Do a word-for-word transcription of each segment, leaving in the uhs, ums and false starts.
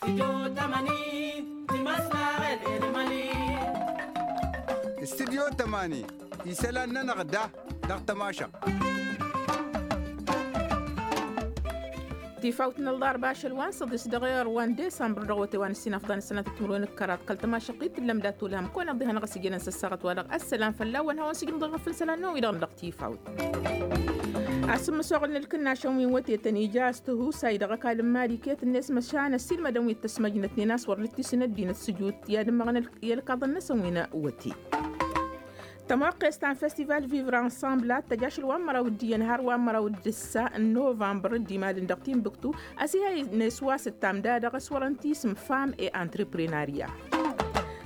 Studyo tămani isălan-nănăɣ da dăɣ-tămašăɣt. Tifawt n-ălḍarba ašăl wa n-săḍis dăɣ-iɣăr wa n-disămbăr dăɣ-wăte wa n-ǝssin afḍan ǝssănatăt timǝrwen d-kăraḍ kăl-tămašăɣt-i t-tǝllăm dat-olhăm kăwăn-iḍḍi hanăɣ-ăsijănăn s-ăssaɣăt wa-dăɣ ăssălan fălla-wăn hawăn-sǝjǝnăḍ ălɣăf n-isălan-năwăn-wi-dăɣ dăɣ-tifawt. Asǝmmǝsoɣăl n-ǝlkǝnnašăn wi n-wătetăn ija a-s tihusay dăɣ-ăkall n-imali iket-net măšan ăssiilmădăn wi t-ăsmăjnătnen a-s wăr dd-tisǝn ăddinăt s-ǝjut i-ad-ǝmmăɣăn ălkăḍăn-năsăn wi n-wăte. Tămoqqes ta n-festival vivre ensemble a t-tăj ašăl wa n-măraw d-iyyăn har wa n-măraw d-ǝssa n-novămbăr d-imalăn dăɣ-timbuktu. Ăsihăynes wa s-ǝttam da-dăɣ s-wărăn tisǝm femme et entreprenariat.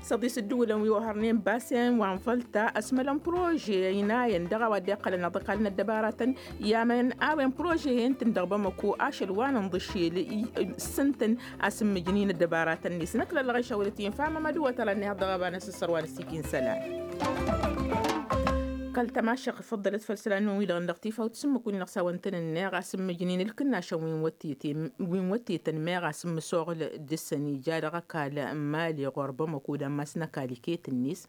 Săḍis ǝddǝwǝlăn wi ohărnen basen wa n-vălta ăsmălăn prože ăynayăn dăɣ-a-wa dd-iqqălăn aḍăkal n-ăddăbaratăn i-amăn a-wen prože-en-tăn dăɣ-bamăko ašăl wa n-inḍǝšel s-ǝntăn a-s ǝmmǝjǝn-in ăddăbaratăn-net năkk lăllăɣ išawălăt-in fam amăduwăt ălannihăḍ dăɣ-ăbanăs s-sărwa n-ăssikǝn isălan. Kăl-tămašăɣt făḍḍălăt făll-isălan-năwăn-wi-dăɣ dăɣ-tifawt s-ǝmmǝk-win-dăɣ s-a-wăn tăn-ǝnneɣ a-s ǝmmǝjǝn-in ǝlkǝnnašăn wi n-wăttităn meɣ a-s ǝmmǝsoɣǝl dăɣ-săn ija dăɣ-ăkall n-imali ɣur-bamăko d-ammas n-ăkall iket-net.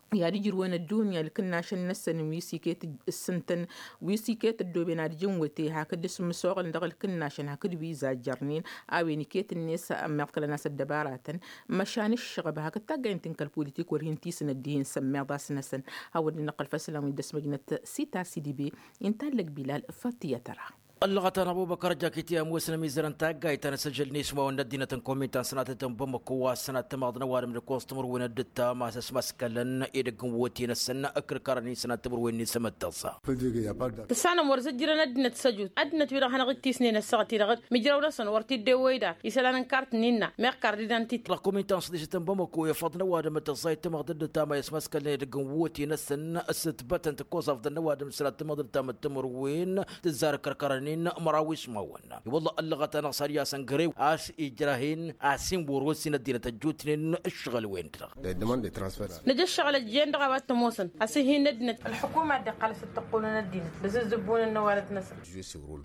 I-ad-ǝjrǝwăn ăddunya ǝlkǝnnašăn-năsăn wi s-iket ǝssǝntăn wi s-iket ăddooben ad-ǝjǝn wăte hakd s-ǝmmǝsoɣǝlăn dăɣ-ǝlkǝnnašăn hakd wi zajjărnen a-wen iket-net ămmiḍkălăn a-s ăddăbaratăn măšan ǝššăɣăb hakd taggayt n-ti n-kăl-politik wăr hin-tisǝn ăddihen sămmeḍ a-s năsăn. Hawăn-dd-năqqăl făll-isălan wi dd-ăsmăjnăt sita s-idǝbe. Inta allăg bilal făttiyăt ăra. Ăllăɣăt-anăɣ bubăkăr ăjjakit i-ămoosăn ămizărăn taggayt ta n-asăjăl n-ismawăn n-ăddinăt n-kominta n-sănatăt n-bamăko wa s-sănat tamăḍnăwadăm d-kostumăr wen dd-tama s-ăsmaskălăn edăgg n-wăte-năsăn. Ǝkrǝkarăn-in sănat timǝrwen n-isămăttăẓa. Tǝssanăm wăr zǝjjǝrăn ăddinăt s-ăjut ăddinăt-wi-dăɣ hanăɣ-dd-tisnen ăssaɣăt-i-dăɣ. Mǝjrăw-năsăn wăr t-dd-ewăy dan isălan n-kart n-inna meɣ kart d-idan titi. Dăɣ-kominta n-săḍisăt n-bamăko efăḍ n-ăwadǝm tăẓẓayt tamăḍt dd-tama i-ăsmaskălăn edăgg n-wăte-năsăn. S-ǝtbătăn tǝkkoẓaf d-ănnăwadǝm s-sănat timăḍt d-tamăḍt timǝrwen tǝzzar ǝkrǝkarăn-in măraw ismawăn. I-wălla ăllăɣăt-anăɣ s-ad-i-asăn gărew a-s ijrah-in a-s inwăr-ossin ăddinăt ăjjootnen ǝššăɣǝl-wen-dăɣ. Nǝj' ǝššăɣǝl ăjjeen-dăɣ a-wa t-ămoosăn a-s ih'-in n-ăddinăt. Ălḥukuma a dd-iqqăl a-s dd-tăqqulăn ăddinăt d-asǝzzǝbbun ănnăwalăt-năsăn.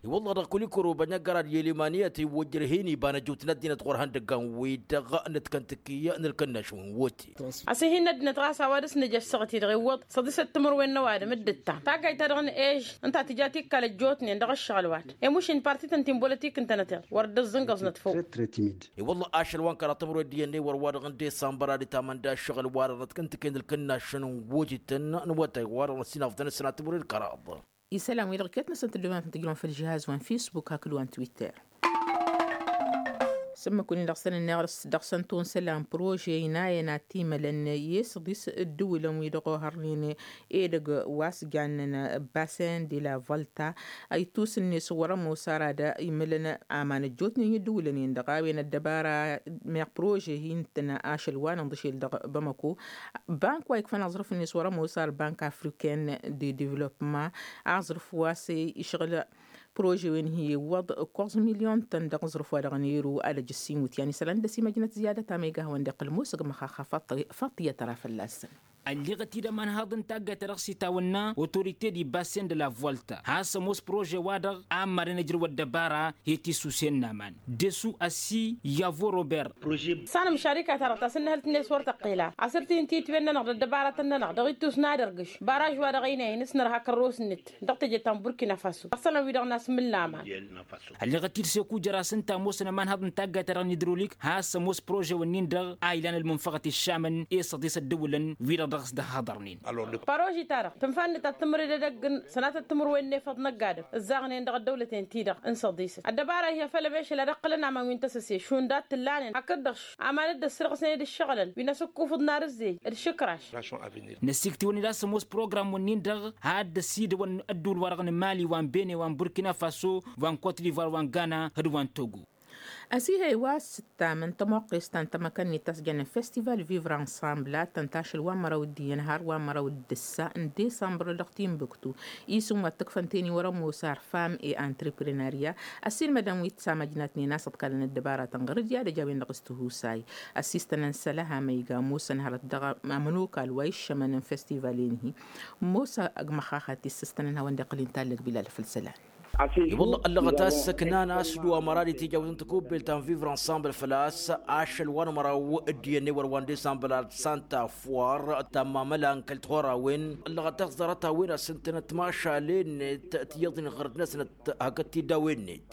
I-wălla dăɣ-kulikoro bănăggăr ad-yel imaniyăt iwwăjjăr hin-iba n-ăjjootnen ăddinăt ɣur-ihăndăggan-wi-dăɣ n-ătkăntǝkǝy n-ǝlkǝnnaš wi n-wăte. A-s ih'-in n-ăddinăt ɣas a-wa dăr-s nǝj' ăssaɣăt-i-dăɣ iwwăḍ săḍisăt timǝrwen n-ăwadǝm dd-ǝttam taggayt-ta-dăɣ n-ež ǝnta a tǝja tikkal ăjjootnen dăɣ-ǝššăɣǝl-wa-dăɣ i-mušin partităn ti n-bolătik ǝntănăteḍ wăr dd-ăẓẓǝngăẓnăt făw. I-wălla ašăl wa n-kăraḍ timǝrwen d-iyyăn d-ewăr wa-dăɣ n-disămbăr ad-itamăn d-aššăɣǝl-wa-dăɣ n-ătkăntǝken d-ǝlkǝnnašăn n-wotităn n-awătay-wa-dăɣ n-ăsinafḍăn ăssinat timǝrwen d-kăraḍ. Isălan-wi-dăɣ iket-năsăn tǝddǝwăn ad-tǝjrǝwăn făll-žihaz wa n-fisbuk hakd wa n-twitter. S-ǝmmǝk-win-dăɣ s-tăn-ǝnneɣ dăɣ-săn tonsălan prože inayăn ad-t-imălăn i-săḍis ǝddǝwǝlăn-wi-dăɣ ohărnen edăgg wa s-jannen basen de la volta. Ittus-net wăr-ămoos ara d-imǝlăn aman ăjjootnen i-ǝddǝwǝlăn-en-dăɣ a-wen ăddăbara meɣ prože hin-tăn ašăl wa n-inḍǝšel dăɣ-bamăko. Bank wa ikfăn aẓrǝf-net wăr-ămoos ar bank afriken de devlopma aẓrǝf wa s-išɣǝl prože-wen hi-iwwăḍ ǝkkoẓ milyon-tăn dăɣ-aẓrǝf wa dăɣ-nero ad-ăj ǝssin wǝtyan isălan d-ăsimăjnăt ziyadăt amăyga a hawăn-dd-iqqǝl musǝg măxaxa. Faṭṭiyăt ara fălla-săn. Ălleɣăt-dd ămanhaḍ n-taggayt ta dăɣ-s itawănna otorite d-ibassen d-la volta has-ămoos prože-wa-dăɣ a ămmadăn ǝjrǝw ăddăbara i-tisusen n-aman. Desu ăssi yavo robert. Sanăm šarika-ta-dăɣ ta s-ǝnnăhăl-t-net wăr tăqqel a asǝr-t-in titwen-nănăɣ d-ăddăbaratăn-nănăɣ dăɣ-ittus n-ad-ărgǝš baraž-wa-dăɣ ăynăyăn s-nărha kărros-net dăɣ-teje ta n-burkina faso. Ăṣṣălăn-wi-dăɣ n-asmǝllamăn. Ălleɣăt-dd seku jăr-as ǝnta ămoosăn ămanhaḍ n-taggayt-ta-dăɣ n-idrolik has-ămoos prože-wǝnnin-dăɣ a ilan ălmunfăɣăt iššamăn i-săḍis ăddǝwǝlăn wi-dăɣ dăɣ-s dd-ăhhăḍărnen. Paroži-ta-dăɣ tǝnfa-net ad-tǝmrǝd edăgg n-sănatăt timǝrwen n-efăḍ năgg-adǝm ǝzzaɣnen dăɣ-ăddăwlăten-ti-dăɣ n-săḍisăt ăddăbara-hi a făl ămešăl ad-ǝqqǝlăn aman wi n-tăsăse šund a t-tǝllanen hakd-dăɣ-š aman dd-ăssirɣǝsnen d-ǝššăɣǝlăn wi n-asǝkkufǝḍ n-arǝzzey d-išǝkraš. Năsiktiwăn-dd a-s ămoos program-wǝnnin-dăɣ ad-dd-ăsidăwăn ădduul-wa-dăɣ n-mali wa n-bene wa n-burkina faso wa n-kot divoir wa n-gana d-wa n-togo. Ăsihăy wa s-ǝttamăn tămoqqes ta n-tamăkănnit ta s-jănnen festival vivre ensemble ad-tăn-tašăl wa n-măraw d-iyyăn har wa n-măraw d-ǝssa n-disămbăr dăɣ-timbuktu isǝm wa t-ǝkfăn teni wăr-ămoos ar femme et entreprenariat. Ăssiilmădăn wi t-samăjnatnen a-s ǝḍkalăn ăddăbaratăn ɣăr-dd i-ad-ăj a-wen-dăɣ s-tihusay ăssistănăn sălăha ma iga ămoosăn hărăt dăɣ-amănokal wa iššămăn n-festival-en-hi. Ămoos ăgg măxaxat issăstănăn hawăn-dd-iqqǝl inta allăg bilal făll-isălan. I-wălla ăllăɣăt a-s ăknan a-s dd-wa mărad itijawt n-tăkubbelt ta n-vivre ensemble făl-a-s ašăl wa n-măraw d-iyyăn i-wăr wa n-disambăl ad-santa fwar tammamăla n-kăl-tihorawen. Ăllăɣăt a-s ḍarăt-a-wen a-s ǝntănăt mašal-en-net tiyyăḍ-in ɣărăt-năsnăt hakd tiddawen-net.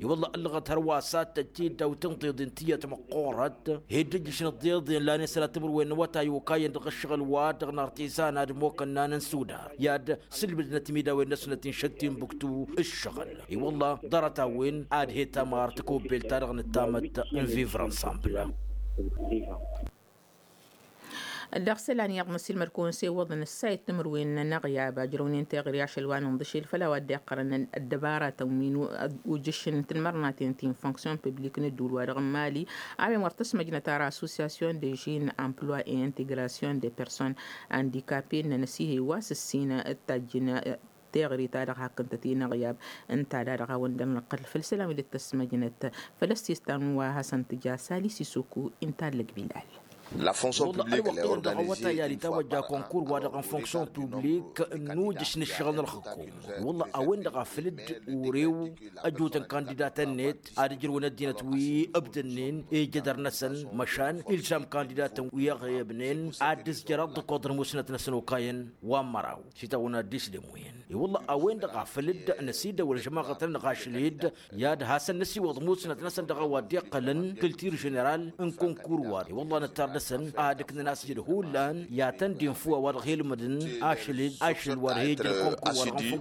I-wălla ăllăɣăt hărwa s-ad-tăt-dd-awtăn tiḍin tiyyăt măqqoorăt. Hed ǝjjǝšăn ăḍḍeḍen lanen sănat timǝrwen n-awătay okayăn dăɣ-ǝššăɣǝl-wa-dăɣ n-artizan ad-ămmokănna n-sudar i-ad-sǝlbǝdnăt imidawen-năsnăt inšăt tinbǝktu ǝššăɣǝl. I-wălla ḍarăt-a-wen ad-he-tamar tăkobbelt-ta-dăɣ nǝttamăt n-vivre ensemble. Dăɣ-isălan iyyăḍ n-ăssiilmăd-kăwăn s-e iwwăḍăn ǝssayăt timǝrwen n-aɣyab ajrăwnen teɣăre ašăl wa n-inḍǝšel făll-a-wa dd-iqqărăn ăddăbaratăn wi n-ujǝššǝn n-tinmărnaten ti n-fonction publik n-ădduul-wa-dăɣ n-mali. A-wen wăr tăsmăjnăt ara association de jeunes emploi et intégration de personnes handicapées ǝnnăn ăsiihăy wa s-ǝssin d-tajjǝn teɣăre-ta-dăɣ hakk ǝnta ti-inaɣyab. Ǝnta-da-dăɣ a-wen dăr-năqqăl făll-isălan wi dd-tăsmăjnăt făll-ăssistan wa hasăn-tǝja sali sisuku inta ăllăg bilal. Ălwăqq-en-dăɣ awătay ad-itawăjja konkur-wa-dăɣ n-fonction publik n-ujǝš n-ǝššăɣǝl n-ălxǝkum. Wălla a-wen-dăɣ a făl dd-urew ăjutăn kandidatăn-net ad-ǝjrǝwăn ăddinăt wi ǝbdănnen ijădăr-năsăn măšan ilsam kandidatăn wi ăɣebnen ad-dd-ǝzjăr ăḍḍǝkoḍ n-musnăt-năsăn okayăn wa n-măraw s-itawăn ad-dd-isdem wi-en. I-wălla a-wen-dăɣ a făl dd-năsidăwăl žămaɣăt-nănăɣ ašăl-dd i-ad-hasăn-năsiwăḍ musnăt-năsăn dăɣ-a-wa dd-iqqălăn kǝltir ženeral n-konkur-wa-dăɣ. I-wălla nǝttar dăɣ-săn ad-ǝknăn a-s jăd hullan i-ad-tăn-dd-inf wa-dăɣ ilmǝdăn ašăl-dd ašăl wa dăɣ-he-ijăn konkur-wa-dăɣ n-fonction publik.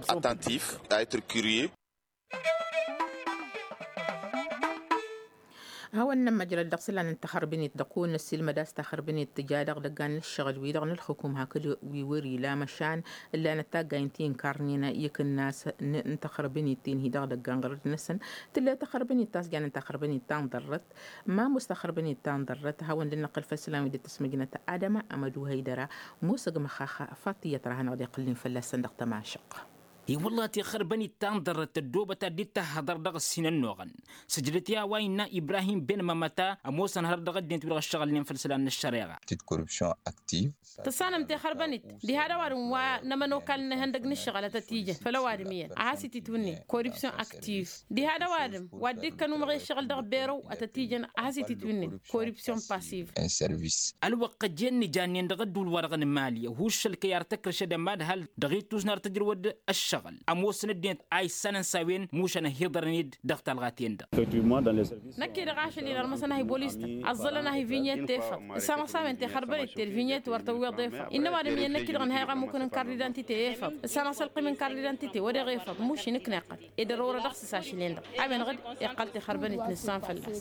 Hawăn-nănn măjrăd dăɣ-isălan n-taxărbǝnet dăɣ-kăwăn-năssiilmăd a-s taxărbǝnet tǝja dăɣ-idăggan n-ǝššăɣǝl-wi-dăɣ n-ǝlxǝkum hakd wi wăr-ila măšan ǝllanăt taggaynt ti n-karnen i-ikǝnnas n-taxărbǝnet-ten-hi dăɣ-idăggan ɣărăt-năsăn. Tǝllăy taxărbǝnet ta s-janen taxărbǝnet ta n-ḍarrăt ma ămoos taxărbǝnet ta n-ḍarrăt a hawăn-dd-năqqǝl făll-isălan wi dd-tăsmăjnăt adăma amădu hăydăra ămoos ăgg măxxax. Faṭ iyyăt ra hanăɣ-dd-iqqǝlnen fălla-săn dăɣ-tamašăɣt. I-wălla taxărbănit ta n-ḍarrăt ăddoobăt ad-dd-tahhăḍăr dăɣ-ǝssin ănnuɣăn sǝjdăt i-a-wa innă ibrahim ben mămăta ămoosăn hărăt dăɣ-ăddinăt wi-dăɣ ǝššăɣǝlnen făll-isălan n-ăššăreɣa. Tăssanăm tixărbănit diha d-ăwadǝm wa n-ămănokal n-ihăndăg n-ǝššăɣǝl a tăt-ijăn făll-ăwadǝm iyyăn a has-ititwǝnnen korupsyon aktiv. Diha d-ăwadǝm wa dd-ikkăn umăɣ i-ǝššăɣǝl dăɣ-berăw a tăt-ijăn a has-ititwǝnnen korupsyon pasiv. Ălwăqq ăjjeen n-ijannen dăɣ-ădduul-wa-dăɣ n-imali ăhuuššăl kăy-ar tăkrǝšădăm ad-hal dăɣ-ittus n-ar tǝjrǝwăd ăššăɣǝl ămoosăn ăddinăt a issanăn s-a-wen mušan ăhiḍărăn-dd dăɣ-talɣa-ten-dăɣ. Năkk-i-dăɣ ašăl-i n-armăsăn a hi-bolis-tăn ăẓẓălăn a hi-vinyet efăḍ. Ǝssanăɣ s-a-wen tixărbănet ti-ălvinyet wăr tăwweḍ efăḍ innă ăwadǝm iyyăn năkk-i-dăɣ ǝnhayăɣ ămmukăn n-kardidanti ti efăḍ. Ǝssanăɣ s-ălqim n-kardidanti ti wăr-iɣ efăḍ muš-i nǝknăɣ-tăn. Ed ărorădăɣ s-ašăl-en-dăɣ a-wen-dăɣ dd-iqqăl tixărbănit nǝssan fălla-s.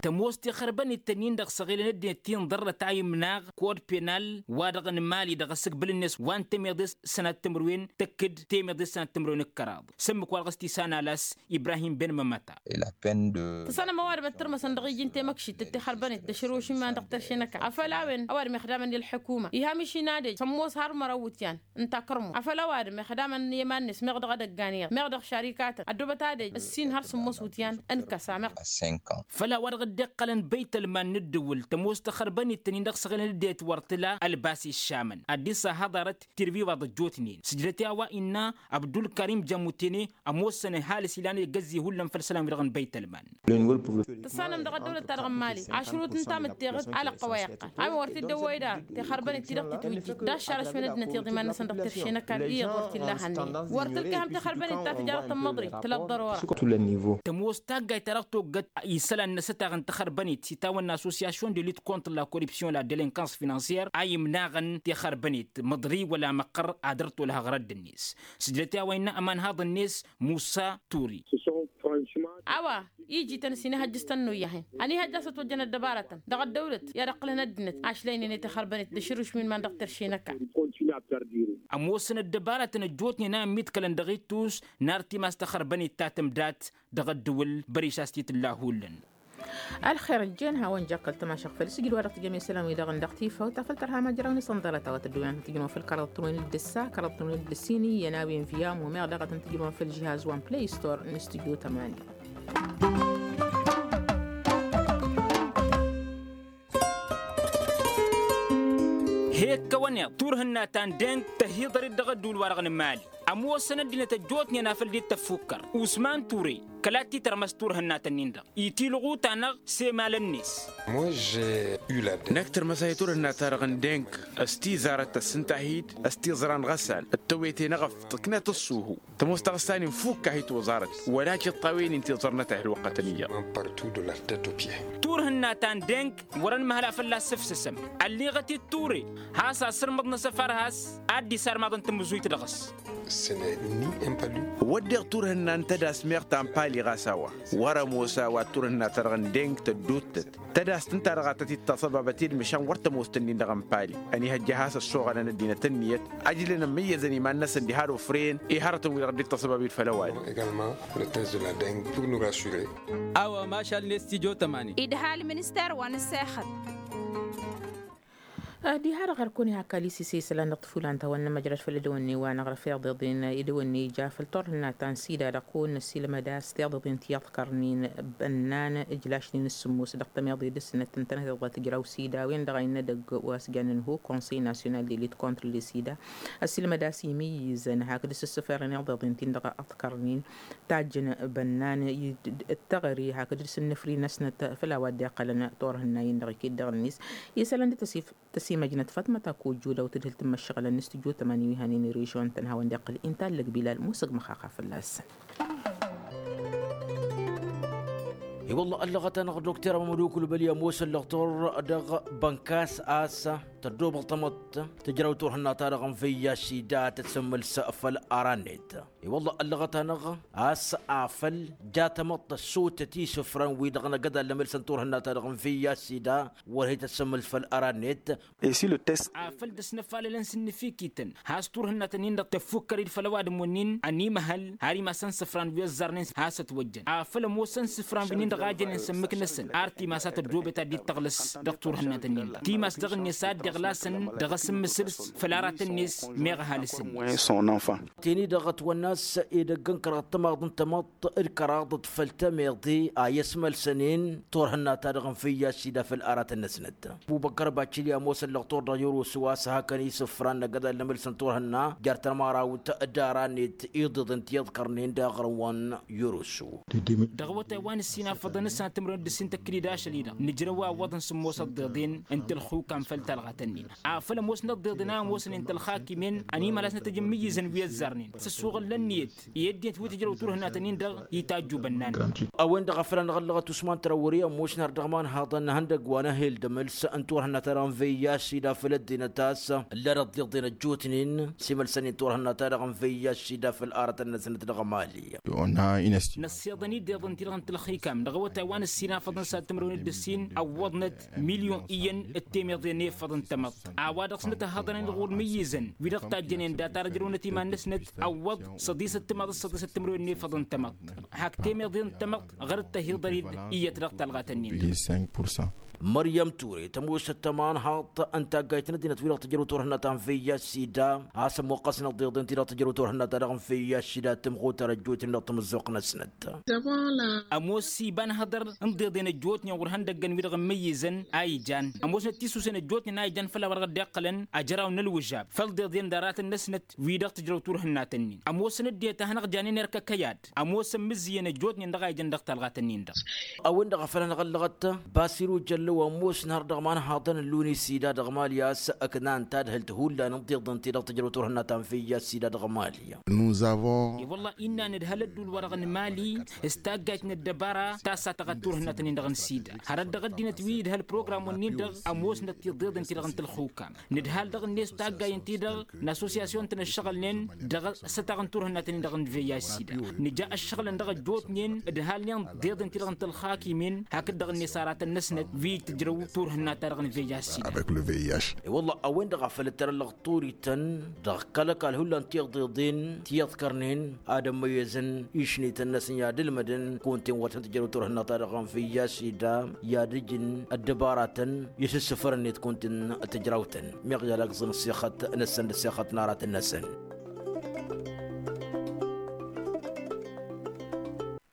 Tămoos tixărbănit-tăn-in-dăɣ săɣilăn ăddinăt ti n-ḍărrăt a imnaɣ kod penal wa-dăɣ n-mali dăɣ-asǝgbǝl-net wa n-temeḍe s-sănat timǝrwen tăkk-dd temeḍe s-sănat timǝrwen d-kăraḍ s-ǝmmǝk-wa-dăɣ s-tisan alas. Ibrahim ben mămăta. Tǝssanăm ăwadǝm ăttărmăsăn dăɣ-iji n-temăkšit d-tixărbănit d-ašăl ošǝmman dăɣ-terše n-ăkall afăl a-wen ăwadǝm ixdamăn i-ălḥukuma iha miši n-adăj s-ămoos har măraw iwǝtyan. Ǝnta kărmu afăl ăwadǝm ixdamăn i-iman-net meɣ dăɣ-edăgg aniɣ meɣ dăɣ-šarikatăn ăddoobăt adăj ǝssin har sǝmmos wǝtyan. Ǝnkăs a-meɣ. Făll-a-wa-dăɣ dd-iqqălăn băytălman n-ǝddǝwǝl tămoos taxărbănit-tăn-in-dăɣ săɣilăn ăddinăt wăr tǝla ălbas iššamăn ad-dd-sahăḍarăt tirviwaḍ ăjjootnen sǝjdăt i-a-wa innă abdulkarim jamutene. Ămoosăn ăhalǝs ilan egăzzi hullan făll-isălan-wi-dăɣ n-băytălman. Tǝssanăm dăɣ-ăddăwlăt-ta-dăɣ n-mali ašrut n-tamǝtteɣăt alăqqăwăy ăqqal a-wen wăr t-dd-ăwwăy daɣ tixărbănit-ti-dăɣ titwǝjjit d-aššar ašmănăt-năt iḍiman-năsăn dăɣ-terše n-ăkall iyyăḍ wăr t-illa han tixărbănit ta tǝjarăt n-măḍri tǝla ăḍḍărora. Tămoos taggayt ta dăɣ-toggăt isălan n-asătaɣ n-taxărbănit s-itawănna association de lutte contre la corruption la delinkans finansier a imnaɣăn tixărbănit măḍri wăla măqqăr ad-ăr tolhăɣ rădd-net. Sǝjdăt i-a-wa innă ămanhaḍ-net musa turi. A-wa iji-tăn s-inihăjjǝs tănnuyyăhen ănihăjja a-s ătwăjjăn ăddăbarătăn dăɣ-ăddăwlăt i-ad-ǝqqǝlăn ăddinăt ašlaynen i-tixărbănit d-ašǝrušmin-man dăɣ-terše n-ăkall. Ămoosăn ăddăbarătăn ăjjootnen a ămmiḍkălăn dăɣ-ittus n-ar timas taxărbănit ta tǝmdat dăɣ-ăddǝwǝl băriš a-s t-tǝlla hullan. Ălxer ăjjeen hawăn-jakkăl tămašăɣt făll-isǝjǝd wa dăɣ-tǝjăm i-isălan-wi-dăɣ n-dăɣ-tifawt afăl tărha majăraw n-isănḍălăt a-wa tăddowen ad-tăn-tǝjrǝwăn făll-kăraḍăt n-wen d-ǝssa kăraḍăt n-wen d-ǝssin iyyăn a-wen via mumeɣ daɣ ad-tăn-tǝjrǝwăn făll-žihaz wan play store n-studio tămani. He-ǝkkăwăn iḍ turhǝnna ta n-deng tăhiḍăr-dd dăɣ-ădduul-wa-dăɣ n-mali. Ămoosăn ăddinăt ăjjootnen a făl dd-tăffukkăr usman ture kăla t-titărmăs turhǝnnatăn-in-dăɣ itilɣu-ta-năɣ s-emalăn-net. Năkk tărmăsay turhǝnna-ta-dăɣ n-deng s-tizarăt tăssǝntahit s-tiẓra n-ɣăsal d-tăwete n-eɣăf tǝknat ăṣṣuhu tămoos taɣǝsta-nin fukk-ahit oẓarăt wăla tiṭṭawen-in tiẓărnăt ăhălwăqqătăn iyyăḍ. Turhǝnna ta n-deng wăr-ănmăhăl a fălla-s sǝfsǝsăm ălliɣăt-dd ture has-asǝrmǝḍ n-asăfar has-ad-dd-isarmaḍăn tamǝzuyt dăɣ-s. Wădden turhǝnna n-tădas meɣ ta n-pali ɣas a-wa wăr-ămoos a-wa d-turhǝnna-ta-dăɣ n-deng tădduuttăt tădas t-ǝnta-dăɣ a tăt-dd-taṣăbabăt i-dd măšan wăr tămoos tǝnnin-dăɣ n-pali ănihăjja a has-ăssoɣălăn ăddinăt ǝnniyăt ăjlăn ămmǝyyăzăn iman-năsăn diha d-ofren i-hărătăn-wi-dăɣ dd-taṣăbabit făll-ăwadǝm. A-wa mašal n-estidyo tămani. Idhal minister wa n-ăssexăt. Diha-dăɣ ărkăwăn ihakka lisise isălan dăɣ-tǝfulan ta wa n-nămăjrăd făll-ădăwănne wa n-aɣrǝf iḍeḍen idăwănne ija făll-turhǝnna ta n-sida dăɣ-kăwăn-năsilmăd a-s tiḍeḍen ti iḍkărnen bănnan ǝjlašnen s-sǝmmos dăɣ-tămiḍe dăr-snăt ǝntăneḍ iḍa tǝjraw sida a-wen-dăɣ a innă edăgg wa s-jannen ho konsey national de lit contre le sida. Ăsilmăd a-s imǝyyǝzăn hakd s-ǝssǝferăn iḍeḍen-tin-dăɣ ǝḍkărnen tajjăn bănnan d-teɣăre hakd s-ǝnnǝfri-năsnăt făll-a-wa dd-iqqălăn turhǝnna-in-dăɣ iket dăɣ-net isălan d-tăsif tăsimăjnăt fatmăt akojju daw tǝdhǝl tǝmmăššăɣǝlăn n-studyo tămani wi hanen irižon tăn-hawăn d-iqqǝl inta ăllăg bilal musăg măxaxa fălla-săn. I-wălla ăllăɣăt-anăɣ dokter amămădukǝl băli ămoosăn lăɣtor dăɣ-bănkas a-s tăddoobăl tamăḍt tǝjrăw turhǝnna-ta-dăɣ n-văyya sida tăt-sǝmmǝlsă făll-aran-net. I-wălla ăllăɣăt-anăɣ a-s afăl ja tamăḍt tăssutăt isǝfran-wi-dăɣ n-agădal n-emălsăn turhǝnna-ta-dăɣ n-văyya sida wăr he-tăt-sǝmmǝls făll-aran-net. Afăl dăɣ-s năfalălăn s-ǝnnǝfikităn has-turhǝnnatăn-in-dăɣ tăffukkăr-dd făll-ăwadǝm-wen-in ănimăhăl har imasăn isǝfran wi ăzzarnen has-ătwăjjăn afăl ămoosăn isǝfran wi-nin-dăɣ a jănen s-ămmǝk-năsăn ar timas a tăddoobet ad-dd-tăɣlăs dăɣ-turhǝnnatăn-in-dăɣ timas dăɣ-net a dd-iɣlasăn dăɣ-asǝmmǝsǝls făll-aratăn-net meɣ ăhalǝs-net. Teni-dăɣ ătwănna a-s edăgg n-kăraḍ timaḍ n-tamăḍt d-kăraḍăt făll-tămeḍe a i-ăsmălsănen turhǝnna-ta-dăɣ n-făyya s-ida făll-aratăn-năsnăt. Bubăkkăr bacili ămoosăn lăɣtor dăɣ-yărusu a-s hakăn isǝfran n-agădal n-emălsăn turhǝnna jer-tămarawt d-ara-net iḍeḍen ti iḍkărnen d-aɣrǝm wa n-yărusu. Dăɣ-awătay wa n-ǝssin afăḍăn ǝssan timǝrwen d-ǝssin tăkkǝd-dd ašăl-i-dăɣ nǝjrăw awwăḍăn sǝmmos ăḍḍeḍen n-tălxukam făll-talɣat-ǝnnin afăl ămoosnăt ăḍḍeḍen a ămoosnen tălxakimen ănimălasnăt ăjǝmmǝyyǝzăn wi ăzzarnen s-ăssuɣǝl n-ǝnniyăt i-ăddinăt wi tǝjrăw turhǝnnatăn-in-dăɣ itajju bănnan. A-wen-dăɣ a făl anăɣ-ăllăɣăt usman trawări ămoosnăr dăɣ-imanhaḍăn n-ihăndăgg wa n-ehel d-emăls n-turhǝnna-ta-dăɣ n-văyya s-ida făll-ăddinăt a-s ǝlla d-ăḍḍeḍen ăjjootnen s-imălsăn-in turhǝnna-ta-dăɣ n-văyya s-ida făll-aratăn-năsnăt dăɣ-emali. Năssiḍăn-dd iḍăn-ti-dăɣ n-tălxikam dăɣ-awătay wa n-ǝssin afăḍăn s-ad-timǝrwen d-ǝssin ăwwăḍnăt milyon iyyăn d-temeḍe n-efăḍ n-tamăḍt a-wa dăɣ-snăt ăhhăḍăn-in-dăɣ wăr mǝyyǝzăn wi-dăɣ tajjănen data-dăɣ ǝjrăwnăt iman-năsnăt ăwwăḍ săḍisăt timaḍ s-săḍisăt timǝrwen n-efăḍ n-tamăḍt. Hak temeḍe n-tamăḍt ɣăr-dd tăhiḍăr-dd iyyăt dăɣ-talɣat-ǝnnin-dăɣ. Măryăm ture tămoosăt tămanhaḍt n-taggayt n-ăddinăt wi-dăɣ tǝjrăw turhǝnna ta n-văyya s-ida a-s ămmuqqăsnăt iḍeḍen ti-dăɣ tǝjrăw turhǝnna ta dăɣ-n văyya s-ida tǝmɣutăr ăjjootnen dăɣ-tamǝzzuɣt-năsnăt. Ămoos iba n-hăḍăr n-iḍeḍen ăjjootnen ɣur-ihăndăggăn wi-dăɣ ǝmmǝyyǝzăn a ijan ămoosnăt tisusen ăjjootnen a ijan făll-a-wa dăɣ-dd-iqqălăn ajăraw n-ălwǝžab făll-iḍeḍen d-aratăn-năsnăt wi-dăɣ tǝjrăw turhǝnnat-ǝnnin ămoosăn ăddinăt a hanăɣ-janen erk ăkăyad ămoosăn imǝzzǝyăn ăjjootnen dăɣ-a ijăn dăɣ-talɣat-ǝnnin-dăɣ. A-wen-dăɣ a făl anăɣ-ăllăɣăt basiru jăllăw ămoosnăr dăɣ-imanhaḍăn n-luni s-ida dăɣ-mali a-s ǝknan tadhǝlt hullan n-tiḍǝn ti-dăɣ tǝjrăw turhǝnna ta n-făyya s-ida dăɣ-mali. I-wălla innă nǝdhăl ăddul-wa-dăɣ n-mali s-taggayt n-ăddăbara ta s-ad-tăɣad turhǝnna-tăn-in-dăɣ n-sida hărăt dăɣ-ăddinăt wi idhăl program-wen-in-dăɣ ămoosnăt tiḍeḍen ti-dăɣ n-tălxukam nǝdhal dăɣ-net taggay ǝnta-dăɣ n-assosyasyon-tăn ăššăɣǝlnen dăɣ-sătaɣ n-turhǝnna-tăn-in-dăɣ n-văyya s-ida nǝja ăššăɣǝlăn dăɣ-ăjjootnen ǝdhalnen d-iḍen-ti-dăɣ n-tălxakimen hakd-dăɣ-net aratăn-năsnăt wi tǝjrăw turhǝnna-ta-dăɣ n-văyya s-ida. I-wălla a-wen-dăɣ a făl ǝttărăn lăɣturităn dăɣ-kăl-ăkall hullan tiḍeḍen ti iḍkărnen ad-ămmăyyăzăn išnităn-năsăn i-ad-ǝlmădăn kunta-en wa tăn-tǝjrăw turhǝnna-ta-dăɣ n-văyya s-ida i-ad-ǝjǝn ăddăbaratăn i-sǝssǝfărăn-net kunta-en tǝjrawtăn meɣ i-ad-agǝẓăn ăssixăt-năsăn d-ăssixăt n-aratăn-năsăn.